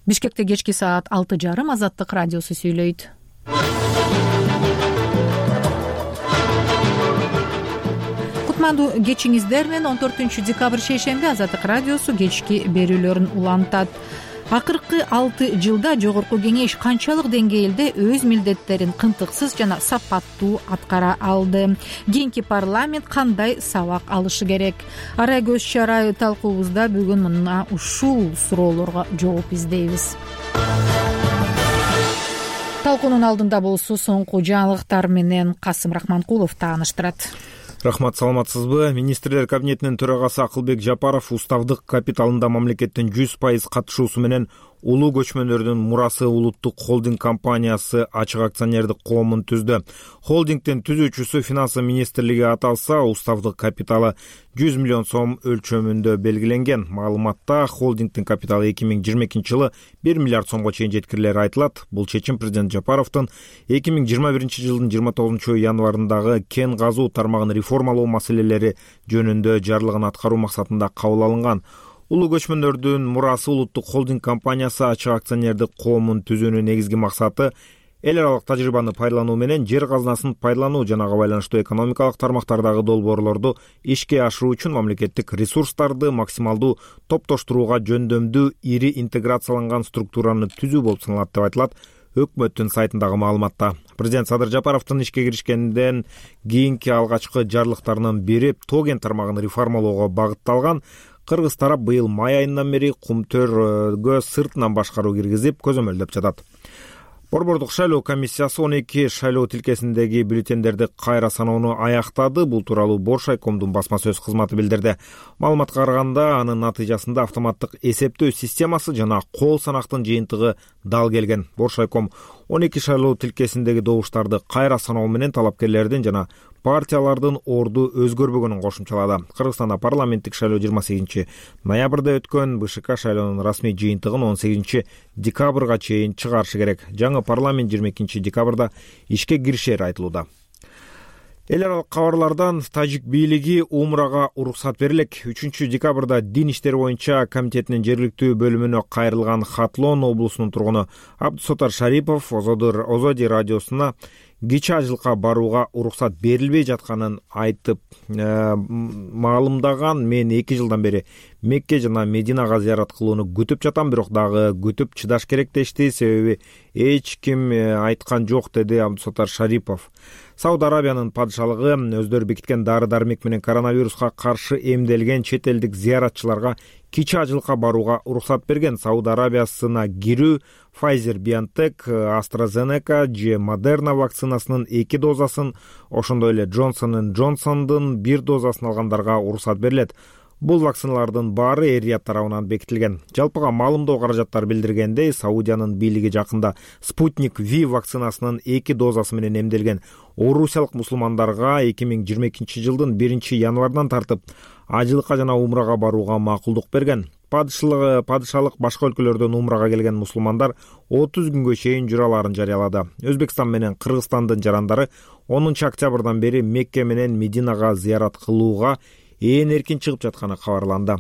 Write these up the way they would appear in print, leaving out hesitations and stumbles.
Бишкекте кечки саат 6:30 Азаттык радиосу сүйлөйт. Кутмандуу кечиңиздер менен 14 декабрь шейшемби Азаттык радиосу кечки берүүлөрүн улантат. Акыркы 6 жылда жогорку кеңеш канчалык деңгээлде өз милдеттерин кынтыксыз жана сапаттуу аткара алды? Кийинки парламент кандай сабак алышы керек? Арай көз чарай талкуубузда бүгүн мына ушул суроолорго жооп издейбиз. Талкуунун алдында болсо соңку жаңылыктар менен Касым Рахманкулов тааныштырат. Рахмат, саламатсызбы? Министрлер кабинетинин төрагасы Акылбек Жапаров уставдык капиталында мамлекеттин 100% катышуусу менен улуу көчмөндөрдүн мурасы улуттук холдинг компаниясы ачык акционердик коомун түздү. Холдингдин түзүүчүсү финансы министрлиги аталса, уставдык капиталы 100 миллион сом өлчөмүндө белгиленген. Маалыматта холдингдин капиталы 2022 жылы 1 миллиард сомго чейин жеткирилери айтылат. Бул чечим президент Жапаровдун 2021 жылдын 29 январындагы кен казуу тармагын реформалоо маселелери жөнүндө жарлыгын аткаруу максатында кабыл алынган. Улуу көчмөндөрдүн мурасы улуттук холдинг компаниясы ачык акционердик коомун түзүүнүн негизги максаты эл аралык тажрыйбаны пайдалануу менен жер казынасын пайдалануу жана ага байланыштуу экономикалык тармактардагы долбоорлорду ишке ашыруу үчүн мамлекеттик ресурстарды максималдуу топтоштурууга жөндөмдүү ири интеграцияланган структураны түзүү болуп саналат деп айтылат өкмөттүн сайтындагы маалыматта. Президент Садыр Жапаровдун ишке киришкенден кийинки алгачкы жарлыктарынын бири тоген тармагын реформалоого багытталган. Кыргыз тарап быйыл май айынан бери Кумтөргө сыртынан башкаруу киргизип көзөмөлдөп жатат. Борбордук шайлоо комиссиясы 12 шайлоо тилкесиндеги бюллетендерди кайра саноону аяктады. Бул тууралуу Боршайкомдун басма сөз кызматы билдирди. Маалыматка караганда, анын натыйжасында автоматтык эсептөө системасы жана кол санактын жыйынтыгы дал келген. Боршайком 12 шайлоо тилкесиндеги добуштарды кайра саноо менен талапкерлердин жана партиялардын орду өзгөрбөгөнүн кошумчалады. Кыргызстанда парламенттик шайлоо 28 ноябрда өткөн. БШК шайлоонун расмий жыйынтыгын 18 декабрга чейин чыгарышы керек. Жаңы парламент 22 декабрда ишке киришери айтылууда. Эл аралык кабарлардан тажик бийлиги умрага уруксат берилет. 3 декабрда Дин иштери боюнча комитетинин жергиликтүү бөлүмүнө кайрылган Хатлон облусунун тургуну Абдусаттар Шарипов Озоди радиосуна кичи ажылыкка барууга уруксат берилбей жатканын айтып маалымдаган. Мен 2 жылдан бери Мекке жана Мединага зыярат кылууну күтүп жатам, бирок дагы күтүп чыдаш керек дешти, себеби эч ким айткан жок, деди Абдусаттар Шарипов. Сауд Арабиянын падышалыгы өздөрү бекиткен дары-дармек менен коронавируска каршы эмделген чет элдик зыяратчыларга кичи ажылыкка барууга уруксат берген. Сауд Арабиясына кирүү Pfizer-BioNTech, AstraZeneca же Moderna вакцинасынын 2 дозасын, ошондой эле Johnson & Johnson'дун 1 дозасын алгандарга уруксат берилет. Бул вакциналардын баары эр-Рияд тарабынан бекитилген. Жалпыга маалымдоо каражаттар билдиргендей, Саудиянын бийлиги жакында Спутник V вакцинасынын 2 дозасы менен эмделген орусиялык мусулмандарга 2022 жылдын 1 январынан тартып ажылыкка жана умрага барууга макулдук берген. Падышалык башка өлкөлөрдөн умрага келген мусулмандар 30 күнгө чейин жүрө аларын жарыялады. Өзбекстан менен Кыргызстандын жарандары 10 октябрдан бери Мекке менен Мединага зыярат кылууга эркин чыгып жатканы кабарланды.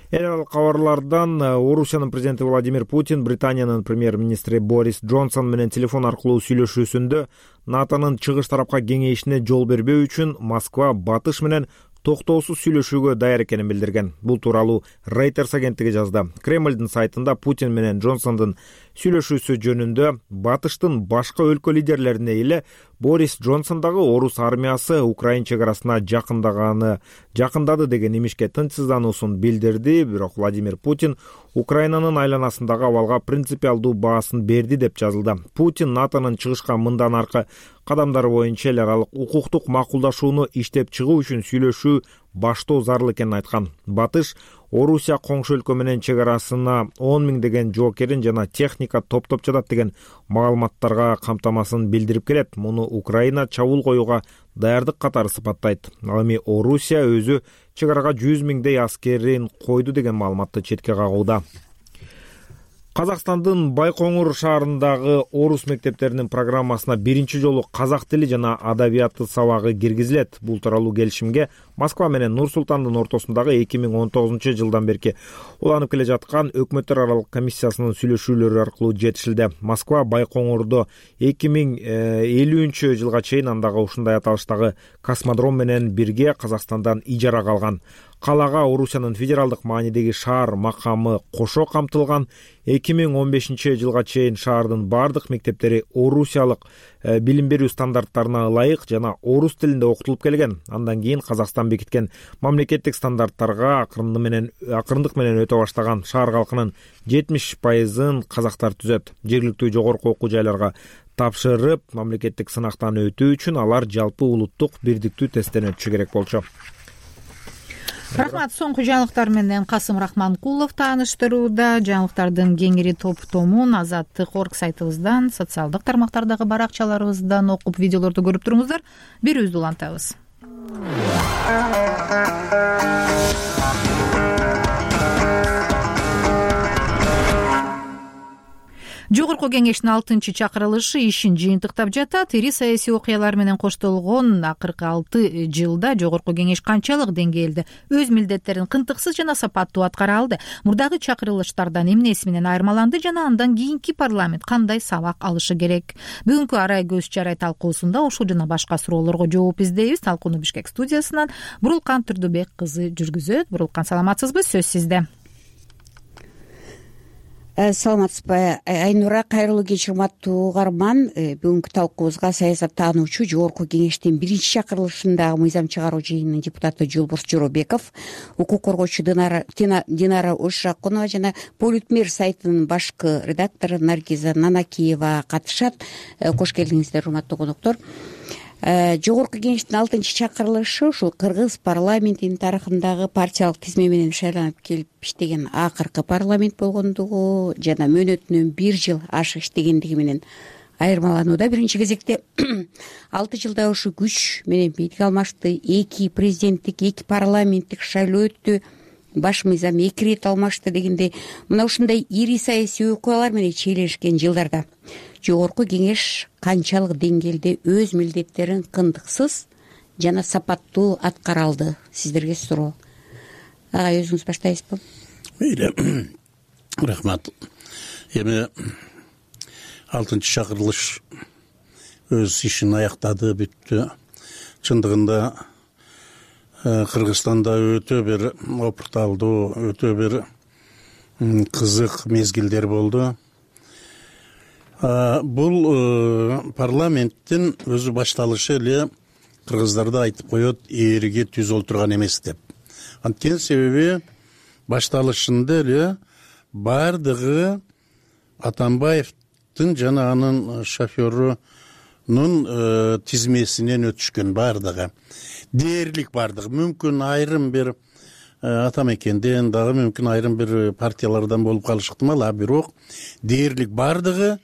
Эл аралык кабарлардан Орусиянын президенти Владимир Путин Британиянын премьер-министри Борис Джонсон менен телефон аркылуу сүйлөшүүсүндө НАТОнун чыгыш тарапка кеңейишине жол бербөө үчүн Москва батыш менен токтоосуз сүйлөшүүгө даяр экенин билдирген. Бул тууралуу Reuters агенттиги жазды. Кремлдин сайтында Путин менен Джонсондун сүйлөшүүсү жөнүндө батыштын башка өлкө лидерлерине эле Борис Джонсон дагы орус армиясы Украина чек арасына жакындады деген имишке тынчсыздануусун билдирди. Бирок Владимир Путин Украинанын айланасындагы абалга принципиалдуу баасын берди деп жазылды. Путин НАТОнун чыгышка мындан аркы кадамдары боюнча эл аралык укуктук макулдашууну иштеп чыгуу үчүн сүйлөшүү баштоо зарыл экенин айткан. Батыш Орусия коңшу өлкө менен чек арасына 10 миңдеген жоокерин жана техника топтоп жатат деген маалыматтарга камтамасын билдирип келет. Муну Украина чабуул коюуга даярдык катары сыпаттайт. Ал эми Орусия өзү чек арага 100 миңдей аскерин койду деген маалыматты четке кагууда. Казакстандын Байкоңур шаарындагы орус мектептеринин программасына биринчи жолу казак тили жана адабияты сабагы киргизилет. Бул тууралуу келишимге Москва менен Нур Султандын ортосундагы 2019 жылдан берки уланып келе жаткан өкмөттөр аралык комиссиясынын сүйлөшүүлөрү аркылуу жетишилди. Москва Байкоңурду 2050 жылга чейин андагы ушундай аталыштагы космодром менен бирге Казакстандан ижарага алган. Калага Орусиянын федералдык маанидеги шаар макамы кошо камтылган. 2015 жылга чейин шаардын бардык мектептери орусиялык билим берүү стандарттарына ылайык жана орус тилинде окутулуп келген. Андан кийин Казакстан бекиткен мамлекеттик стандарттарга акырындык менен өтө баштаган шаар калкынын 70%-ын казактар түзөт. Жергиликтүү жогорку окуу жайларга тапшырып, мамлекеттик сынактан өтүү үчүн алар жалпы улуттук бирдиктүү тесттен өтүшү керек болчу. Рахмат. Соңку жаңылыктар менен Касым Рахманкулов тааныштырууда. Жаңылыктардын кеңири топтомун Азаттык.орг сайтыбыздан, социалдык тармактардагы баракчаларыбыздан окуп, видеолорду көрүп туруңуздар. Берүүбүздү улантабыз. Жогорку кеңештин 6-чакырылышы ишин жыйынтыктап жатат. Ири саясий окуялар менен коштолгон акыркы 6 жылда Жогорку кеңеш канчалык деңгээлде өз милдеттерин кынтыксыз жана сапаттуу аткара алды? Мурдагы чакырылыштардан эмнеси менен айырмаланды жана андан кийинки парламент кандай сабак алышы керек? Бүгүнкү арай көз чарай талкуусунда ушул жана башка суроолорго жооп издейбиз. Талкууну Бишкек студиясынан Бурулкан Түрдүбек кызы жүргүзөт. Бурулкан, саламатсызбы? Сөз сизде. Саламатсызбы Айнура, кайрылуу кеч урматтуу угарман. Бүгүнкү талкуубузга саясаттануучу Жогорку кеңештин 1-чакырылышындагы мыйзам чыгаруу жыйынынын депутаты Жолборс Жоробеков, укук коргоочу Динара Ошакунова жана Политмир сайтынын башкы редактору Наргиза Нанакиева катышат. Кош келиңиздер, урматтуу коноктор. Жогорку кеңештин 6-чакырылышы ушул кыргыз парламентинин тарыхындагы партиялык тизме менен шайланып келип иштеген акыркы парламент болгондугу жана мөөнөтүнөн 1 жыл ашык иштегендиги менен айырмаланууда. Биринчи кезекте 6 жылда ушу күч менен бийлик алмашты, 2 президенттик, 2 парламенттик шайлоо өттү, баш мыйзам 2 ирет алмашты дегендей, мына ушундай ири саясий окуялар менен чийлешкен жылдарда Жогорку кеңеш канчалык деңгээлде өз милдеттерин кындыксыз жана сапаттуу аткара алды? Сиздерге суроо. Агай, өзүңүз баштайсызбы? Мейли. Рахмат. Эми 6-чакырылыш өз ишин аяктады, бүттү. Чындыгында Кыргызстанда өтө бир опурталдуу, өтө бир кызык мезгилдер болду. Бул парламенттин өзү башталышы эле кыргыздарды айтып коет, ээриге түз олтурган эмес деп. Анткени себеби башталышында эле бардыгы Атамбаевдин жана анын шоферунун тизмесинен өтүшкөн, бардыгы. Дээрлик бардыгы. Мүмкүн айрым бир Атамекенден дагы, мүмкүн айрым бир партиялардан болуп калышы ыктымал, бирок дээрлик бардыгы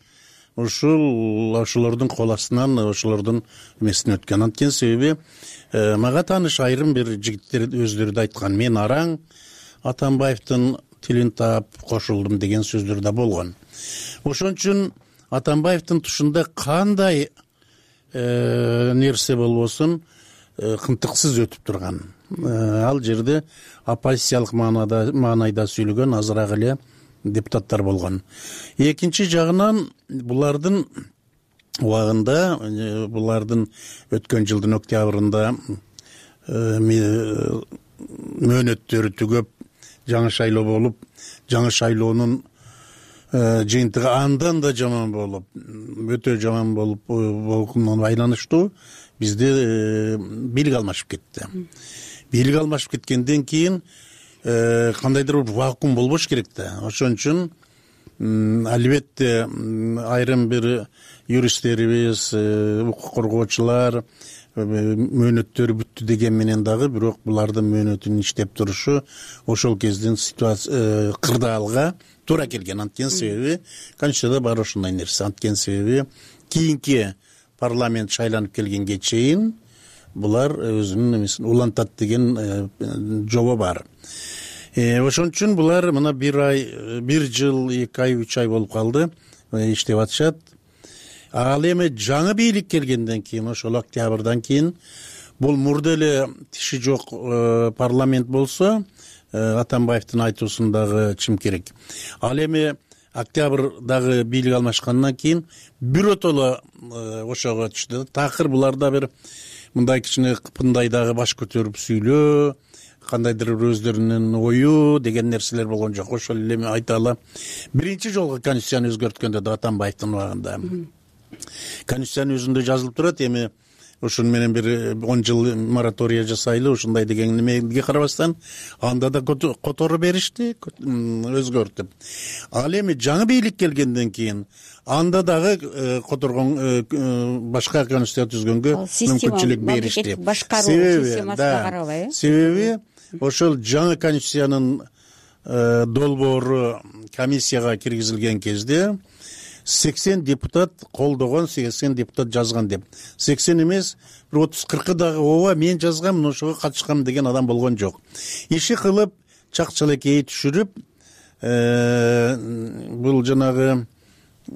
ошолордун кол астынан, ошолордун эмесинен өткөн. Анткени себеби мага тааныш айрым бир жигиттер өздөрү да айткан, мен араң Атамбаевдин тилин таап кошулдум деген сөздөр да болгон. Ошон үчүн Атамбаевдин тушунда кандай нерсе болбосун кынтыксыз өтүп турган. Ал жерде оппозициялык маанайда сүйлөгөн азыраак эле депутаттар болгон. Экинчи жагынан булардын убагында, булардын өткөн жылдын октябрында мөөнөттөрү түгөп, жаңы шайлоо болуп, жаңы шайлоонун жыйынтыгы андан да жаман болуп, өтө жаман болуп болгонуна байланыштуу бизде бийлик алмашып кетти. Бийлик алмашып кеткенден кийин кандайдыр бир вакуум болбош керек да. Ошон үчүн албетте айрым бир юристтерибиз, укук коргоочулар мөөнөттөрү бүттү деген менен дагы, бирок булардын мөөнөтүнүн иштеп турушу ошол кездин ситуация кырдаалга туура келген. Анткени себеби Конституцияда бар ошондой нерсе. Анткени себеби кийинки парламент шайланып келгенге чейин булар өзүнүн эмесин улантат деген жобо бар. Ошон үчүн булар мына 1 жыл 2 ай 3 ай болуп калды иштеп атышат. Ал эми жаңы бийлик келгенден кийин, ошол октябрдан кийин бул мурда эле тиши жок парламент болсо Атамбаевдин айтуусундагы чимкерек. Ал эми октябрдагы бийлик алмашкандан кийин биротоло ошого түштү. Такыр буларда бир мындай кичине кыпындай дагы баш көтөрүп сүйлөө, кандайдыр өздөрүнүн ою деген нерселер болгон жок. Ошол эле мен айта алам. Биринчи жолу конституцияны өзгөрткөндө да Атамбаевдин убагында конституциянын өзүндө жазылып турат. Эми ошону менен бир 10 жыл моратория жасайлы ушундай деген немеге карабастан анда да которо беришти, өзгөртүп. Ал эми жаңы бийлик келгенден кийин анда дагы которгон башка конституция түзгөнгө мүмкүнчүлүк беришти. Себеби ошол жаңы конституциянын долбоору комиссияга киргизилген кезде 80 депутат колдогон, 80 депутат жазган деп. 80 эмес, бир 30-40 дагы ооба мен жазгам, ошого катышкам деген адам болгон жок. Иши кылып, чак-чалекей түшүрүп, бул жанагы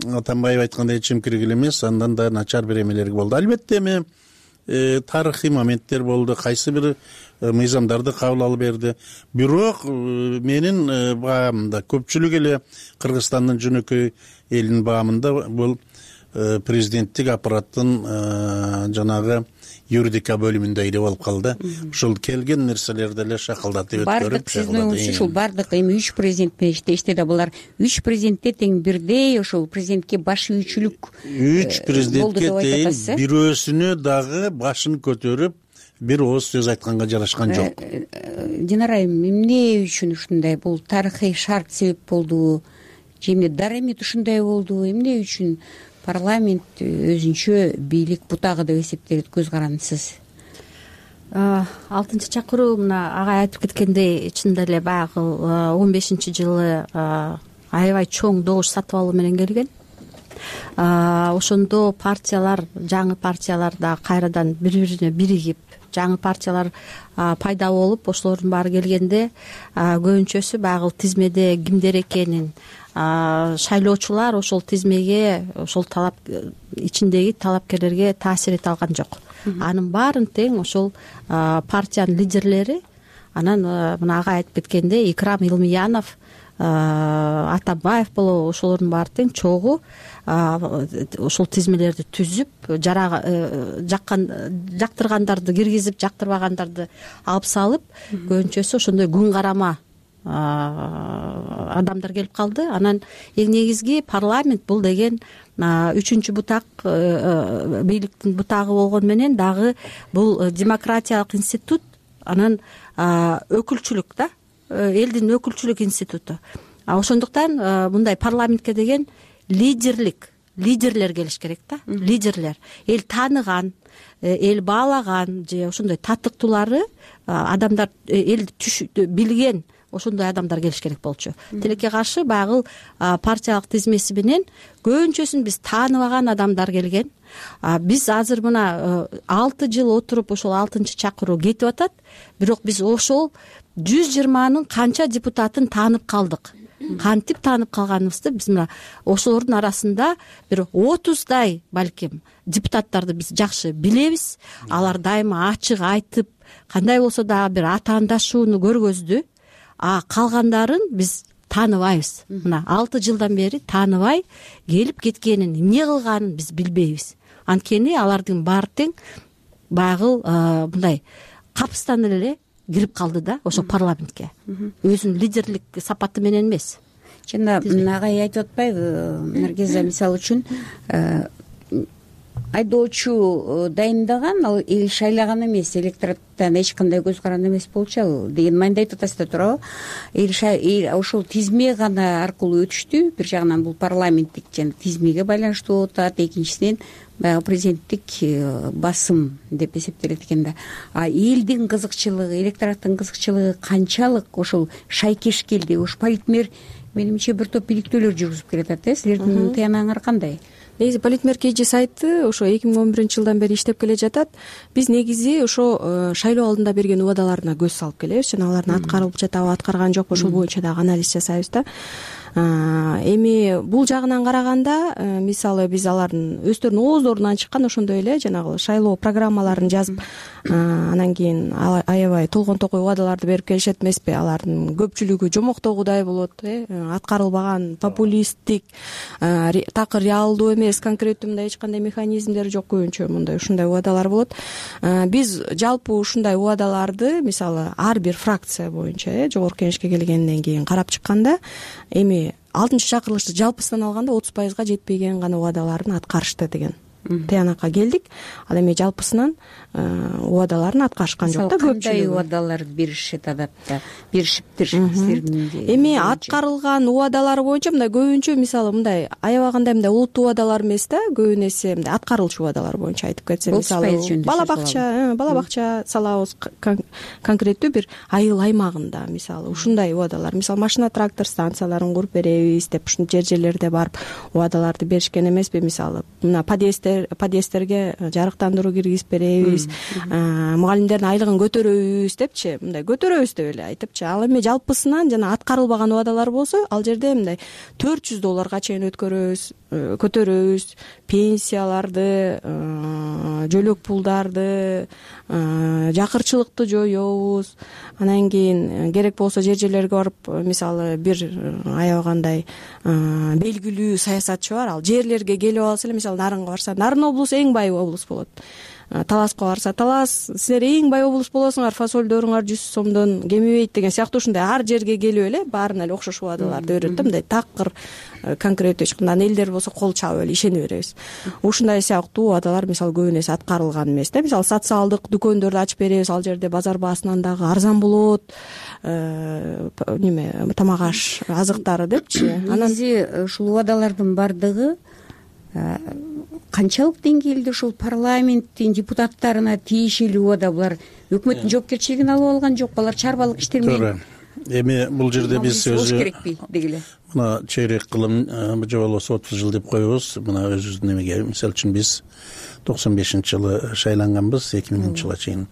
Атамбаев айткандай чимкирик эле эмес, андан да начар бир эмелер болду. Албетте эми тарыхый моменттер болду, кайсы бир мыйзамдарды кабыл алып берди. Бирок менин баамда көпчүлүк эле Кыргызстандын жөнөкөй элинин баамында бул президенттик аппараттын жанагы юридика бөлүмүндө эле болуп калды. Ушул келген нерселерди эле шакалдатып өткөрүп. Бардык сиздин оюңузча ушул бардык эми 3 президент менен иштешти да, булар 3 президентте тең бирдей ошол президентке баш ийүүчүлүк 3 президентке тең бирөөсүнө дагы башын көтөрүп бир ооз сөз айтканга жарашкан жок. Динара айым, эмне үчүн ушундай? Бул тарыхый шарт себеп болдубу? Же эмне дарамет ушундай болдубу? Эмне үчүн парламент өзүнчө бийлик бутагы деп эсептейт? Көз карандысыз. 6 чакыруу мына агай айтып кеткендей, чынында эле баягы 15-жылы аябай чоң добуш сатып алуу менен келген. Ошондо партиялар, жаңы партиялар да кайрадан бири-бирине биригип, жаңы партиялар пайда болуп, ошолордун баары келгенде көбүнчөсү баягы тизмеде кимдер экенин, шайлоочулар ошол тизмеге, ошол талап ичиндеги талапкерлерге таасир эте алган жок. Анын баарын тең ошол партиянын лидерлери, анан мына агай айтып кеткендей Икрам Илмиянов, Атамбаев болобу, ошолордун баары тең чогуу ошол тизмелерди түзүп, жактыргандарды киргизип, жактырбагандарды алып салып, көбүнчөсү ошондой күн карама адамдар келип калды. Анан эң негизги парламент бул деген 3-чү бутак, бийликтин бутагы болгону менен дагы бул демократиялык институт, анан өкүлчүлүк да, элдин өкүлчүлүк институту. Ошондуктан мындай парламентке деген лидерлер келиш керек да, лидерлер. Эл тааныган, эл баалаган же ошондой татыктуулары адамдар, элди билген ошондой адамдар келиш керек болчу. Тилекке каршы баягы партиялык тизмеси менен көбүнчөсүн биз тааныбаган адамдар келген. Биз азыр мына 6 жыл отуруп ошол 6-чакыруу кетип атат, бирок биз ошол 120нын канча депутатын таанып калдык. Кантип таанып калганыбызды биз мына ошолордун арасында бир 30дай балким депутаттарды биз жакшы билебиз. Алар дайыма ачык айтып, кандай болсо дагы бир атаандашууну көргөздү. Калгандарын биз тааныбайбыз. Мына 6 жылдан бери тааныбай келип кеткенин, эмне кылганын биз билбейбиз. Анткени алардын баары тең баягы мындай капыстан эле кирип калды да ошо парламентке. Өзүнүн лидерлик сапаты менен эмес. Жана агай айтып атпайбы, Наргиза мисалы үчүн айдоочу дайындаган, ал эл шайлаган эмес, электораттан эч кандай көз каранды эмес болчу деген маанайда айтып атасыз да, туурабы? Ошол тизме гана аркылуу өтүштү. Бир жагынан бул парламенттик жана тизмеге байланыштуу болуп атат, экинчисинен баягы президенттик басым деп эсептелет экен да. Элдин кызыкчылыгы, электораттын кызыкчылыгы канчалык ошол шайкеш келди? Ош политмер менимче бир топ иликтөөлөр жүргүзүп келатат силердин тыянагыңар кандай? Негизи Политмер KG сайты ошо 2011-жылдан бери иштеп келе жатат. Биз негизи ошо шайлоо алдында берген убадаларына көз салып келебиз жана алардын аткарылып жатабы аткарган жокпу ошол боюнча дагы анализ жасайбыз да. Эми бул жагынан караганда мисалы биз алардын өздөрүнүн ооздорунан чыккан ошондой эле жанагы шайлоо программаларын жазып анан кийин аябай толгон токой убадаларды берип келишет эмеспи. Алардын көпчүлүгү жомоктогудай болот, аткарылбаган, популисттик, такыр реалдуу эмес, конкреттүү мындай эч кандай механизмдери жок, көбүнчө мындай ушундай убадалар болот. Биз жалпы ушундай убадаларды мисалы ар бир фракция боюнча жогорку кеңешке келгенден кийин карап чыкканда эми 6-чакырылышты жалпысынан алганда 30%га жетпеген гана убадаларын аткарышты деген тыянакка келдик. Ал эми жалпысынан убадаларын аткарышкан жок да. Кандай убадаларды беришет адатта? Беришиптир силердин? Эми аткарылган убадалар боюнча мындай көбүнчө мисалы мындай аябагандай мындай улуттуу убадалар эмес да, көбүн эсе мындай аткарылчу убадалар боюнча айтып кетсем, мисалы бала бакча салабыз, конкреттүү бир айыл аймагында мисалы ушундай убадалар, мисалы машина трактор станцияларын куруп беребиз деп ушул жерлерде барып убадаларды беришкен эмеспи. Мисалы мына подъездтерге жарыктандыруу киргизип беребиз, мугалимдердин айлыгын көтөрөбүз депчи, мындай көтөрөбүз деп эле айтыпчы. Ал эми жалпысынан жана аткарылбаган убадалар болсо ал жерде мындай $400 чейин көтөрөбүз, пенсияларды, жөлөк пулдарды, жакырчылыкты жоебуз. Анан кийин керек болсо жерлерге барып мисалы бир аябагандай белгилүү саясатчы бар, ал жерлерге келип алса эле, мисалы Нарынга барса Нарын облусу эң бай облус болот, Таласка барса Талас силер эң бай облус болосуңар, фасолдоруңар 100 сомдон кемибейт деген сыяктуу ушундай ар жерге келип эле баарына эле окшош убадаларды берет да. Мындай такыр конкреттүү эч кандай элдер болсо кол чабып эле ишене беребиз. Ушундай сыяктуу убадалар мисалы көбүн эсе аткарылган эмес да. Мисалы социалдык дүкөндөрдү ачып беребиз, ал жерде базар баасынан дагы арзан болот, тамак аш азыктары депчи. Негизи ушул убадалардын бардыгы канчалык деңгээлде ушул парламенттин депутаттарына тиешелүү убада? Булар өкмөттүн жоопкерчилигин алып алган жокпу? Алар чарбалык иштер менен эми бул жерде биз өзү керекпи дегиле. Мына чейрек кылым же болбосо 30 жыл деп коебуз. Мына өзүбүздүн эмеге мисалы үчүн биз 95-жылы шайланганбыз, 2000-жылга чейин.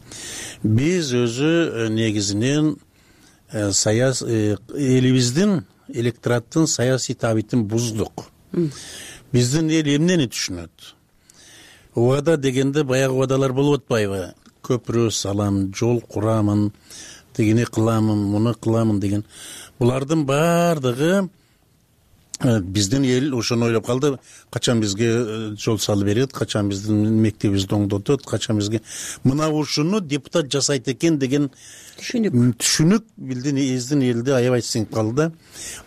Биз өзү негизинен элибиздин электораттын саясий табитин буздук. Биздин эл эмнени түшүнөт? Убада дегенде баягы убадалар болуп атпайбы? Көпүрө салам, жол курамын, тигини кыламын, муну кыламын деген. Булардын баардыгы биздин эл ошону ойлоп калды. Качан бизге жол салып берет, качан биздин мектебибизди оңдотот, качан бизге мына ушуну депутат жасайт экен деген түшүнүк биздин элди аябай сиңип калды.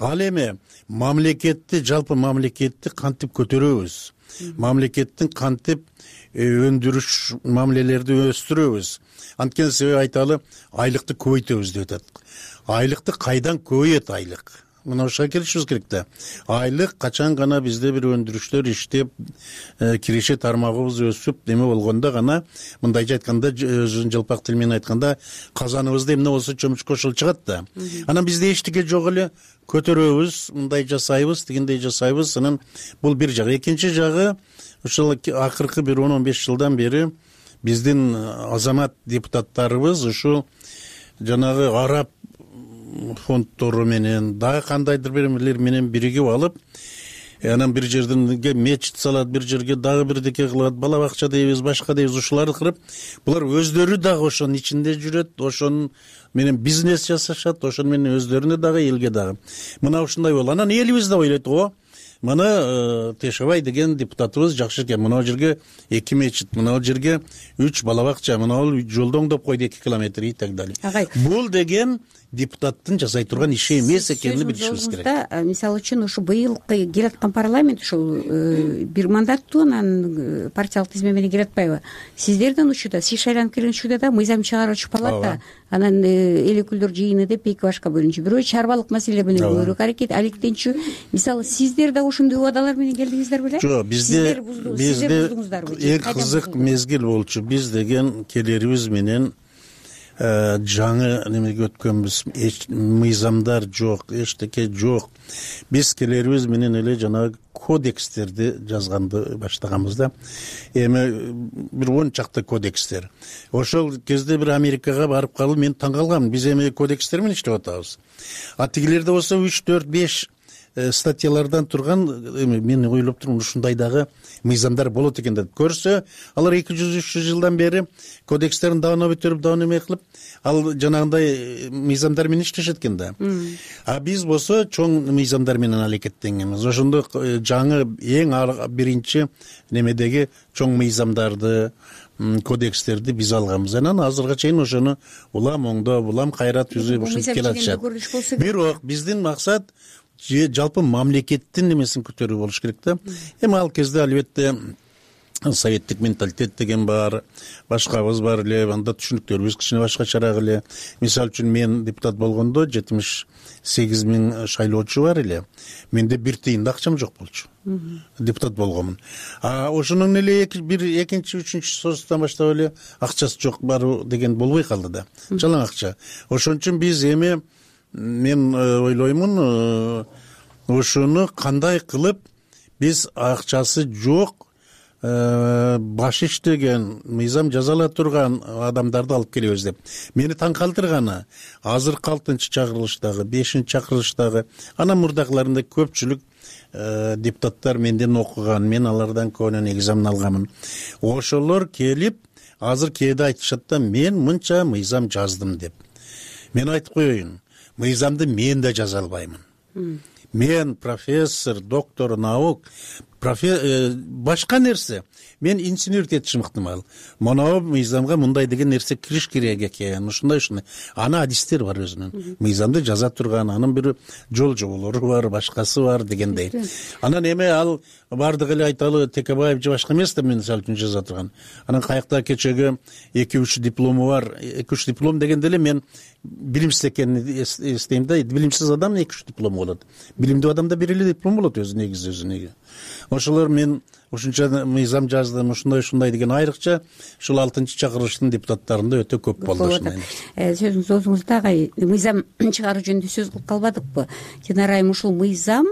Ал эми мамлекетти, жалпы мамлекетти кантип көтөрөбүз? Мамлекеттин кантип өндүрүш мамилелерди өстүрөбүз? Анткени себеби айталы, айлыкты көбөйтөбүз деп атат. Айлыкты кайдан көбөйөт айлык? Мына ошого келишибиз керек да. Айлык качан гана бизде бир өндүрүштөр иштеп, киреше тармагыбыз өсүп, неме болгондо гана, мындайча айтканда, өзүнүн жалпак тил менен айтканда, казаныбызда эмне болсо чөмүчкө ошол чыгат да. Анан бизде эчтеке жок эле, көтөрөбүз, мындай жасайбыз, дегендей жасайбыз. Анан бул бир жагы. Экинчи жагы, ошол акыркы бир 10-15 жылдан бери биздин азамат депутаттарыбыз ушул жанагы араб фонддору менен дагы кандайдыр бирлер менен биригип алып, анан бир жерден мечит салат, бир жерге дагы бирдеке кылат, бала бакча дейбиз, башка дейбиз, ушуларды кырып, булар өздөрү дагы ошонун ичинде жүрөт, ошонун менен бизнес жасашат, ошону менен өздөрүнө дагы, элге дагы. Мына ушундай болду. Анан элибиз да ойлойт, мына Тешебай деген депутатыбыз жакшы экен, мына жерге 2 мечит, мына жерге 3 бала бакча, мына жолду оңдоп койду 2 километр и так далее. Бул деген депутаттын жасай турган иши эмес экенин билишибиз керек. Мисалы үчүн ушу быйылкы келаткан парламент ушул бир мандаттуу, анан партиялык тизме менен келатпайбы? Сиздердин учурда, сиз шайланып келген учурда да мыйзам чыгаруучу палата, анан эл өкүлдөр жыйыны деп эки башка бөлүнчү. Бирөө чарбалык маселелер менен көбүрөөк алектенчү. Мисалы сиздер да ушундай убадалар менен келдиңиздер беле? Жок, бизде эң кызык мезгил болчу. Биз деген келерибиз менен жаңы немеге өткөнбүз, мыйзамдар жок, эчтеке жок. Биз келерибиз менен эле жанагы кодекстерди жазганды баштаганбыз да. Эми бир 10 чакты кодекстер. Ошол кезде бир Америкага барып калып мен таң калгам. Биз эми кодекстер менен иштеп атабыз. А тигилерде болсо 3, 4, 5 статьялардан турган, эми мен ойлоп турмун ушундай дагы мыйзамдар болот экен деп көрсө, алар 200-300 жылдан бери кодекстерин давно өтөрүп, давно эме кылып, ал жанагындай мыйзамдар менен иштешет экен да. А биз болсо чоң мыйзамдар менен аракеттенгенбиз. Ошондо жаңы эң биринчи немедеги чоң мыйзамдарды, кодекстерди биз алганбыз. Анан азырга чейин ошону улам оңдоп, улам кайра түзүп ушинтип келатышат. Бирок биздин максат жалпы мамлекеттин немесин көтөрүү болуш керек да. Эми ал кезде албетте советтик менталитет деген бар, башкабыз бар эле, анда түшүнүктөрүбүз кичине башкачараак эле. Мисалы үчүн мен депутат болгондо 78 000 шайлоочу бар эле. Менде 1 тыйын да акчам жок болчу. Депутат болгонмун. А ошонун эле бир экинчи, үчүнчү соцтан баштап эле акчасы жок баруу деген болбой калды да. Жалаң акча. Ошон үчүн биз эми мен ойлоймун, ошону кандай кылып биз акчасы жок, баш иштеген, мыйзам жаза ала турган адамдарды алып келебиз деп. Мени таң калтырганы, азыркы 6-чакырылыштагы, 5-чакырылыштагы, анан мурдакыларында көпчүлүк депутаттар менден окуган, мен алардан көбүнөн экзамен алганмын. Ошолор келип, азыр кээде айтышат да, мен мынча мыйзам жаздым деп. Мен айтып коеюн, мыйзамды мен да жаза албаймын. Мен профессор, доктор наук, башка нерсе. Мен инженер кетишим ыктымал. Монау мыйзамга мындай деген нерсе кириш керек экен, ушундай. Ана адистер бар өзүнүн. Мыйзамды жаза турган, анын бир жол жоболору бар, башкасы бар дегендей. Анан эме ал бардык эле айталы Текебаев же башка эмес деп мисалы үчүн жаза турган. Анан каякта кечеги 2-3 диплому бар. 2-3 диплом дегенде эле мен билимсиз экенин эстейм да. Билимсиз адам 2-3 диплом болот. Билимдүү адамда бир эле диплом болот өзүнө. Ошолор мен ушунча мыйзам жаздым, ушундай деген айрыкча ушул 6-чакырылыштын депутаттарында өтө көп болду ушундай. Сөзүңүз оозуңузда агай, мыйзам чыгаруу жөнүндө сөз кылып калбадыкпы? Жанарайым, ушул мыйзам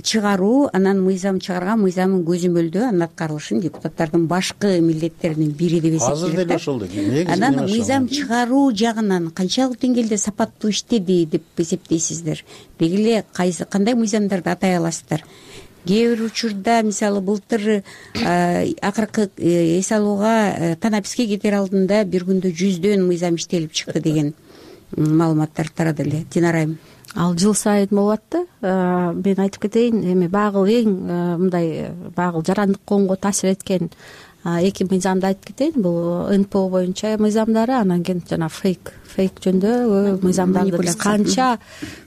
чыгаруу, анан мыйзам чыгарган мыйзамдын көзөмөлдөө анын аткарылышын депутаттардын башкы милдеттеринин бири деп эсептейт. Азыр деле ошол негизи. Анан мыйзам чыгаруу жагынан канчалык деңгээлде сапаттуу иштеди деп эсептейсиздер? Деги эле кандай мыйзамдарды атай аласыздар? Кээ бир учурда, мисалы былтыр акыркы эс алууга танаписке кетер алдында бир күндө 100дөн мыйзам иштелип чыкты деген маалыматтар тарады эле. Динарайым, ал жыл сайын болот да. Мен айтып кетейин, эми багыл эң мындай багыл жарандык коомго таасир эткен 2 мыйзамды айтып кетейин. Бул НПО боюнча мыйзамдары, анан кийин жана фейк жөнүндө мыйзамдарды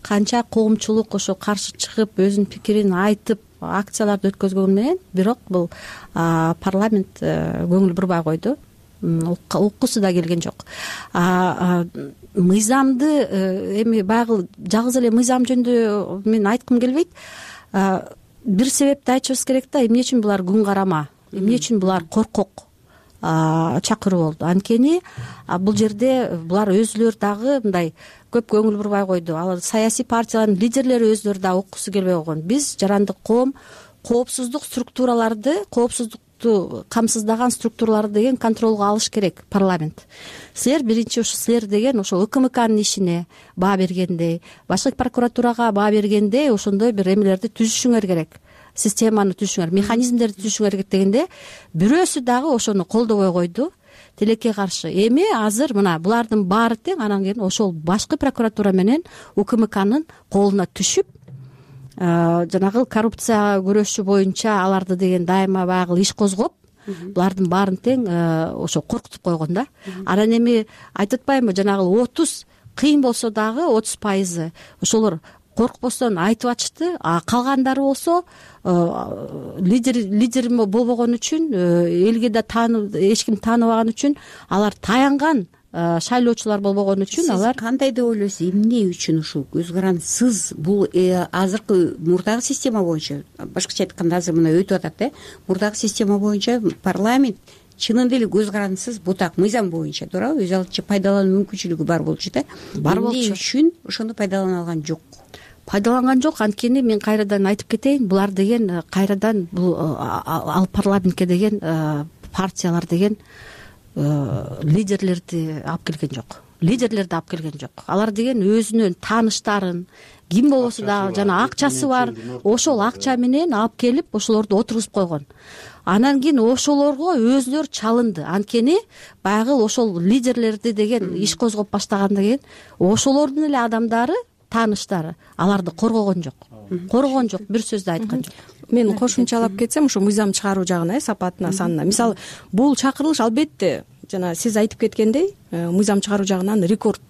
канча коомчулук ошо каршы чыгып өзүнүн пикирин айтып акцияларды өткөзгөн менен, бирок бул парламент көңүл бурбай койду. Уккусу да келген жок. Мыйзамды эми багыл жалгыз эле мыйзам жөнүндө мен айткым келбейт. Бир себепти айтышыбыз керек да, эмне үчүн булар күн карама, эмне үчүн булар коркок чакыруу болду. Анткени бул жерде булар өзүлөрү дагы мындай көп көңүл бурбай койду. Ал саясий партиялардын лидерлери өзүлөрү да уккусу келбей койгон. Биз жарандык коом коопсуздук структураларды, коопсуздукту камсыздаган структураларды деген контролго алыш керек парламент. Силер биринчи ушу силер деген ошо УКМКнын ишине баа бергендей, башкы прокуратурага баа бергендей ошондой бир эмелерди түзүшүңөр керек. Системаны түзүшүңөр, механизмдерди түзүшүңөр керек дегенде бирөөсү дагы ошону колдобой койду. Тилекке каршы. Эми азыр мына булардын баары тең, анан кийин ошол башкы прокуратура менен УКМКнын колуна түшүп, жанагы коррупция күрөшү боюнча аларды деген дайыма багыл иш козгоп, булардын баарын тең ошо коркутуп койгон да. Анан эми айтып атпаймынбы, жанагы 30 кыйын болсо дагы 30% ошолор коркпостон айтып атышты. Калгандары болсо лидер болбогон үчүн, элге да эч ким тааныбаган үчүн, алар таянган шайлоочулар болбогон үчүн алар. Сиз кандай деп ойлойсуз? Эмне үчүн ушул көз карансыз? Бул азыркы мурдагы система боюнча, башкача айтканда азыр мына өтүп атат мурдагы система боюнча парламент чынында эле көз карандысыз бутак мыйзам боюнча туурабы өз алдынча пайдалануу мүмкүнчүлүгү бар болчу да, бар болчу. эмне үчүн ошону пайдалана алган жок? Пайдаланган жок. Анткени мен кайрадан айтып кетейин, булар деген кайрадан бул ал парламентке деген партиялар деген лидерлерди алып келген жок. Лидерлерди алып келген жок. Алар деген өзүнүн тааныштарын, ким болбосо дагы жана акчасы бар, ошол акча менен алып келип ошолорду отургузуп койгон. Анан кийин ошолорго өзүлөр чалынды. Анткени баягы ошол лидерлерди деген иш козгоп баштагандан кийин ошолордун эле адамдары, тааныштары аларды коргогон жок. Коргогон жок, бир сөз да айткан жок. Мен кошумчалап кетсем, ошо мыйзам чыгаруу жагына, сапатына, санына. Мисалы, бул чакырылыш албетте жана сиз айтып кеткендей, мыйзам чыгаруу жагынан рекорд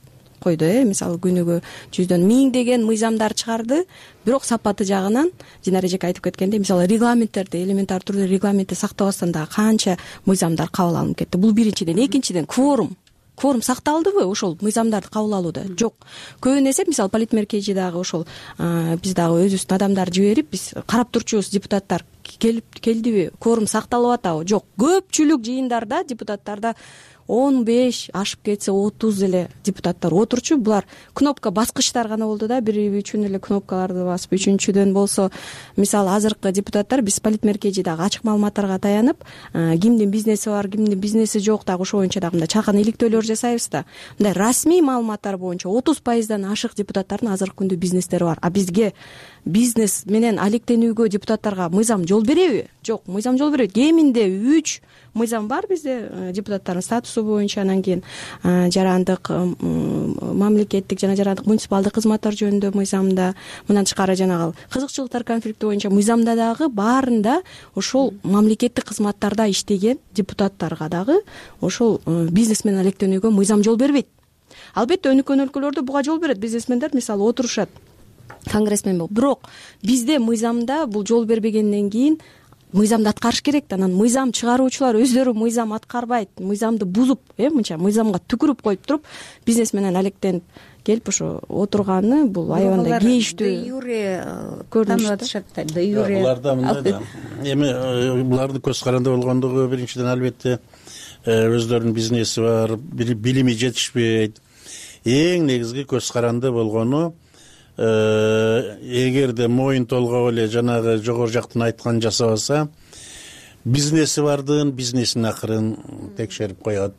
койду. Мисалы, күнүгө 100дөн 1000 деген мыйзамдар чыгарды, бирок сапаты жагынан Динара эжеке айтып кеткендей, мисалы, регламенттерди, элементар түрдө регламентти сактабастан дагы канча мыйзамдар кабыл алынып кетти. Бул биринчиден. Экинчиден, кворум сакталдыбы ошол мыйзамдарды кабыл алууда? Жок. Көбүн эсе, мисалы, политмеркежи дагы ошол биз дагы өзүбүздүн адамдарды жиберип, биз карап турчубуз, депутаттар келдиби, кворум сакталып атабы? Жок. Көпчүлүк жыйындарда депутаттарда 15 ашып кетсе 30 эле депутаттар отурчу. Булар кнопка баскычтар гана болду да, бир үчүн эле кнопкаларды басып. Үчүнчүдөн болсо, мисалы, азыркы депутаттар биз политмеркежи дагы ачык маалыматтарга таянып, кимдин бизнеси бар, кимдин бизнеси жок дагы ошо боюнча дагы мындай чакан иликтөөлөр жасайбыз да. Мындай расмий маалыматтар боюнча 30%дан ашык депутаттардын азыркы күндө бизнестери бар. А бизге бизнес менен алектенүүгө депутаттарга мыйзам жол береби? Жок, мыйзам жол берет. Кеминде 3 мыйзам бар бизде депутаттардын статусу боюнча, анан кийин жарандык мамлекеттик жана жарандык муниципалдык кызматтар жөнүндө мыйзамда, мындан тышкары жанагы кызыкчылыктар конфликти боюнча мыйзамда дагы баарында ошол мамлекеттик кызматтарда иштеген депутаттарга дагы ошол бизнес менен алектенүүгө мыйзам жол бербейт. Албетте өнүккөн өлкөлөрдө буга жол берет. Бизнесмендер, мисалы, отурушат, конгрессмен болуп. Бирок бизде мыйзамда бул жол бербегенден кийин мыйзамды аткарыш керек да. Анан мыйзам чыгаруучулар өздөрү мыйзам аткарбайт, мыйзамды бузуп, мынча мыйзамга түкүрүп коюп туруп, бизнес менен алектенип келип ошо отурганы бул аябандай кейиштүү көрүнүш атышат да. Буларда мындай да. Эми булардын көз каранды болгондугу биринчиден албетте өздөрүнүн бизнеси бар, билими жетишпейт. Эң негизги көз каранды болгону, эгерде моюн толгоп эле жанагы жогору жактан айтканын жасабаса, бизнеси бардын бизнесин акырын текшерип коет.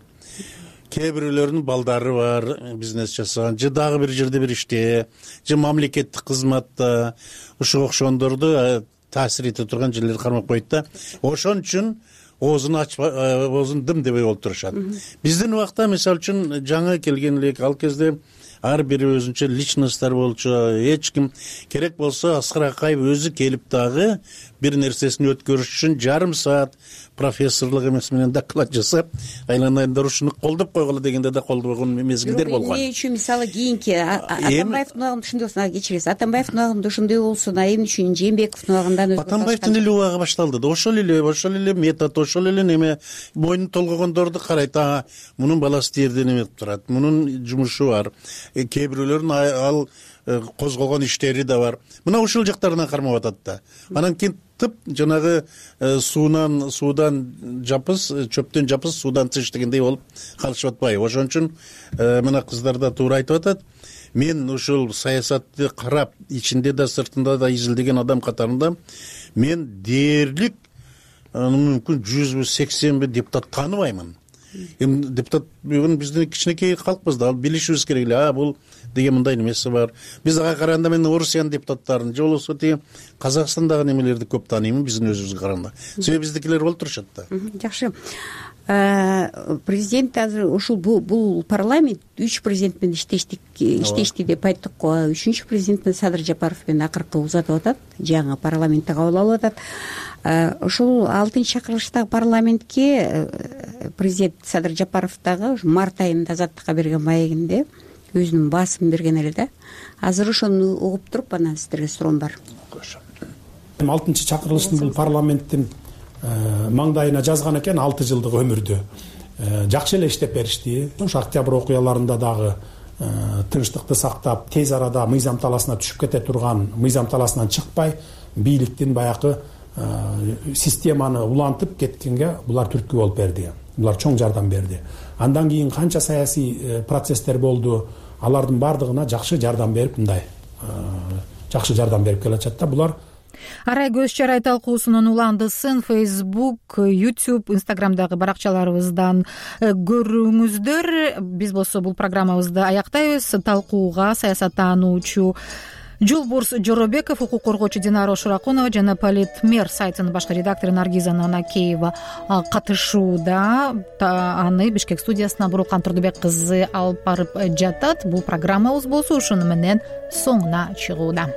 Кээ бирөөлөрдүн балдары бар, бизнес жасаган, же дагы бир жерде бир иште, же мамлекеттик кызматта ушуга окшогондорду таасир эте турган жерлерди кармап коет да. Ошон үчүн оозун ачпай, оозун дым дебей олтурушат. Биздин убакта, мисалы үчүн, жаңы келген элек, ал кезде ар бири өзүнчө личносттар болчу. Эч ким керек болсо Аскар Акаев өзү келип дагы бир нерсесин өткөрүш үчүн жарым саат профессорлук эмес менен доклад жасап, айланайындар ушуну колдоп койгула дегенде да колдобогон мезгилдер болгон. Эмне үчүн, мисалы, кийинки Атамбаевдин убагында ошондой болсун, кечиресиз, Атамбаевдин убагында ошондой болсун, эмне үчүн Жээнбековдун убагында Атамбаевдин эле убагы башталды да. Ошол эле метод, ошол эле неме, мойнун толгогондорду карайт. Мунун баласы тиерде неме кылып турат, мунун жумушу бар, кээ бирөөлөрдүн ал козголгон иштери да бар. Мына ушул жактарынан кармап атат да. Анан кийин тып жанагы суудан жапыс, чөптөн жапыс, суудан тыш дегендей болуп калышып атпайбы? Ошон үчүн мына кыздар да туура айтып атат. Мен ушул саясатты карап, ичинде да сыртында да изилдеген адам катарында мен дээрлик мүмкүн 100-80 депутат тааныбаймын. Эми депутат бүгүн биздин кичинекей калкпыз да, билишибиз керек эле. Бул деген мындай немеси бар. Биз ага караганда мен Орусиянын депутаттарын же болбосо тиги Казакстандагы немелерди көп тааныймын биздин өзүбүзгө караганда. Себеби биздикилер болуп турушат да. Жакшы. Президент азыр ушул бул парламент 3 президент менен иштешти деп айттык го. 3-чү президент Садыр Жапаров менен акыркы узатып атат, жаңы парламентте кабыл алып атат. Ошол 6-чакырылыштагы парламентке президент Садыр Жапаров дагы март айында Азаттыкка берген маегинде өзүнүн баасын берген эле да. Азыр ошону угуп туруп, анан сиздерге суроом бар. 6-чакырылыштын бул парламенттин маңдайына жазган экен 6 жылдык өмүрдө. Жакшы эле иштеп беришти. Ошо октябрь окуяларында дагы тынчтыкты сактап, тез арада мыйзам таласына түшүп кете турган, мыйзам таласынан чыкпай, бийликтин баягы системаны улантып кеткенге булар түрткү болуп берди, булар чоң жардам берди. Андан кийин канча саясий процесстер болду, алардын баардыгына жакшы жардам берип, мындай жакшы жардам берип келатышат да булар. Арай көз чарай талкуусунун уландысын Facebook, YouTube, Instagramдагы баракчаларыбыздан көрүңүздөр. Биз болсо бул программабызды аяктайбыз. Талкууга саясаттануучу Жолборс Жоробеков, укук коргоочу Динара Ошуракунова жана Политмер сайтынын башкы редактору Наргиза Нанакеева катышууда. Аны Бишкек студиясына Бурулкан Турдубек кызы алып барып жатат. Бул программабыз болсо ушуну менен соңуна чыгууда.